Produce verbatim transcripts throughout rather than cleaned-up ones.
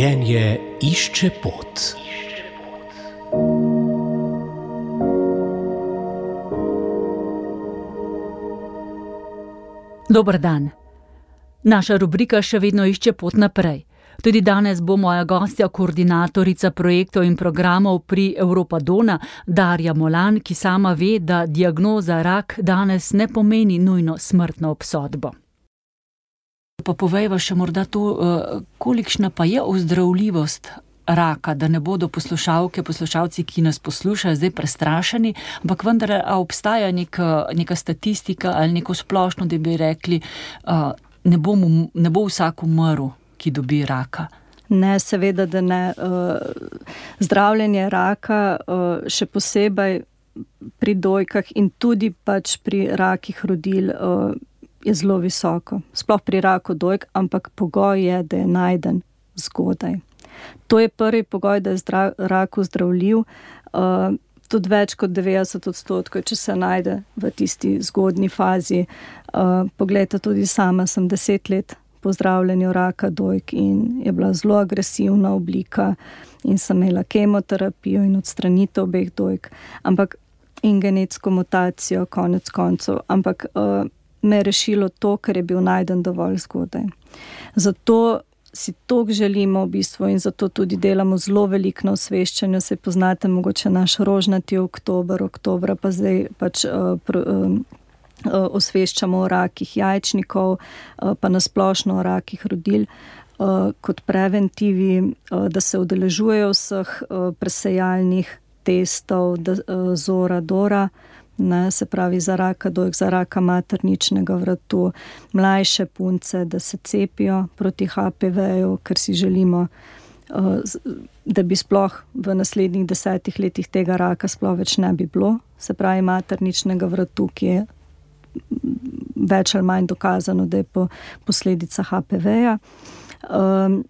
Življenje išče pot. Dober dan. Naša rubrika še vedno išče pot naprej. Tudi danes bo moja gostja koordinatorica projektov in programov pri Europadona, Darja Molan, ki sama ve, da diagnoza rak danes ne pomeni nujno smrtno obsodbo. Pa povejva še morda to, kolikšna pa je ozdravljivost raka, da ne bodo poslušalke, poslušalci, ki nas poslušajo, zdaj prestrašeni, ampak vendar obstaja neka, neka statistika ali neko splošno, da bi rekli, ne bo, mu, ne bo vsak umrl, ki dobi raka. Ne, seveda, da ne. Zdravljenje raka, še posebej pri dojkah in tudi pač pri rakih rodil, je zelo visoko. Sploh pri raku dojk, ampak pogoj je, da je najden zgodaj. To je prvi pogoj, da je zdrav, rak zdravljiv. Uh, tudi več kot devetdeset odstotkov, če se najde v tisti zgodni fazi. Uh, poglejte, tudi sama sem deset let po zdravljenju raka dojk in je bila zelo agresivna oblika in sem imela kemoterapijo in odstranitev obeh dojk. Ampak in genetsko mutacijo, konec koncev. Ampak uh, me je rešilo to, ker je bil najden dovolj zgodaj. Zato si toliko želimo v bistvu in zato tudi delamo zelo veliko na osveščanju. Se poznate mogoče naš rožnati oktober, oktobra pa zdaj pač uh, pr, uh, uh, osveščamo o rakih jajčnikov, uh, pa nasplošno o rakih rodil uh, kot preventivi, uh, da se udeležujejo vseh uh, presejalnih testov, da, uh, zora, dora, ne, se pravi za raka dojk, za raka materničnega vratu, mlajše punce, da se cepijo proti H P V-ju, ker si želimo, da bi sploh v naslednjih desetih letih tega raka sploh več ne bi bilo, se pravi materničnega vratu, ki je več ali manj dokazano, da je po posledica H P V-ja. Um,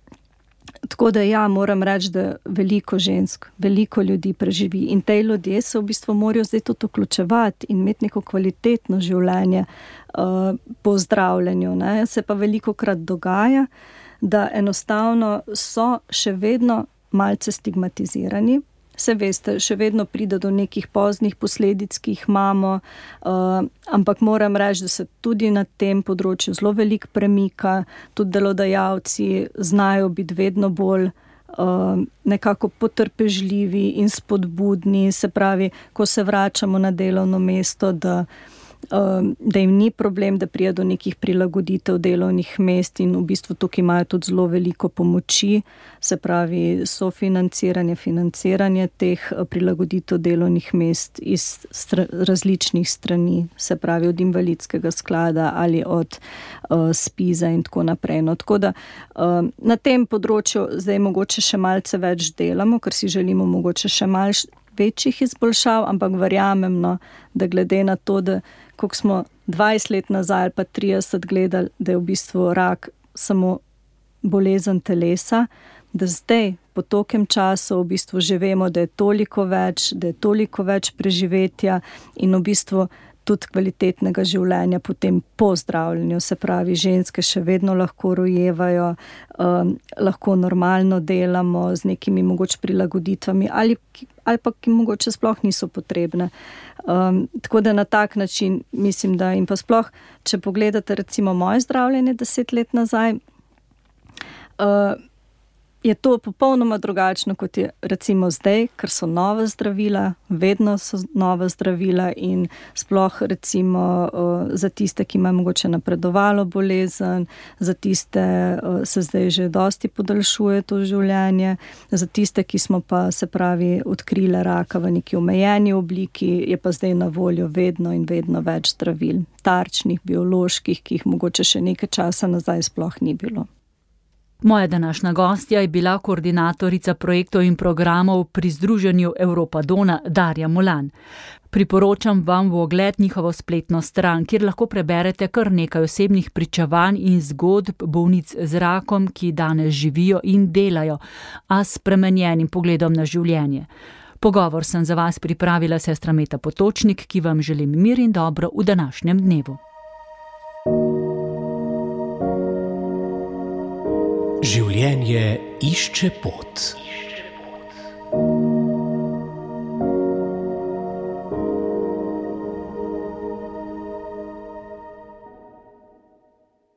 Tako da ja, moram reči, da veliko žensk, veliko ljudi preživi in te ljudje se v bistvu morajo zdaj tudi vključevati in imeti neko kvalitetno življenje uh, po zdravljenju. Ne. Se pa veliko krat dogaja, da enostavno so še vedno malce stigmatizirani. Se veste, še vedno pride do nekih poznih posledic, ki jih imamo, uh, ampak moram reči, da se tudi na tem področju zelo veliko premika, tudi delodajalci znajo biti vedno bolj uh, nekako potrpežljivi in spodbudni, se pravi, ko se vračamo na delovno mesto, da da jim ni problem, da prije do nekih prilagoditev delovnih mest in v bistvu tukaj imajo tudi zelo veliko pomoči, se pravi sofinanciranje, financiranje teh prilagoditev delovnih mest iz str- različnih strani, se pravi od invalidskega sklada ali od uh, spiza in tako naprej. No, tako da uh, na tem področju zdaj mogoče še malce več delamo, ker si želimo mogoče še malce večjih izboljšav, ampak verjamem, no, da glede na to, da koliko smo dvajset let nazaj ali pa trideset gledali, da je v bistvu rak samo bolezen telesa, da zdaj po tokem času v bistvu že vemo, da je toliko več, da je toliko več preživetja in v bistvu tudi kvalitetnega življenja potem po zdravljenju. Se pravi, ženske še vedno lahko rojevajo, um, lahko normalno delamo z nekimi mogoče prilagoditvami ali, ali pa ki mogoče sploh niso potrebne. Um, tako da na tak način mislim, da in pa sploh, če pogledate recimo moje zdravljenje deset let nazaj, uh, je to popolnoma drugačno, kot je recimo zdaj, ker so nova zdravila, vedno so nova zdravila in sploh recimo uh, za tiste, ki imajo mogoče napredovalo bolezen, za tiste uh, se zdaj že dosti podaljšuje to življenje, za tiste, ki smo pa se pravi odkrile raka v neki omejeni obliki, je pa zdaj na voljo vedno in vedno več zdravil, tarčnih, bioloških, ki jih mogoče še nekaj časa nazaj sploh ni bilo. Moja današnja gostja je bila koordinatorica projektov in programov pri združenju Europadona Darja Molan. Priporočam vam v ogled njihovo spletno stran, kjer lahko preberete kar nekaj osebnih pričevanj in zgodb bolnic z rakom, ki danes živijo in delajo, a s spremenjenim pogledom na življenje. Pogovor sem za vas pripravila sestra Meta Potočnik, ki vam želim mir in dobro v današnjem dnevu. Življenje išče pot.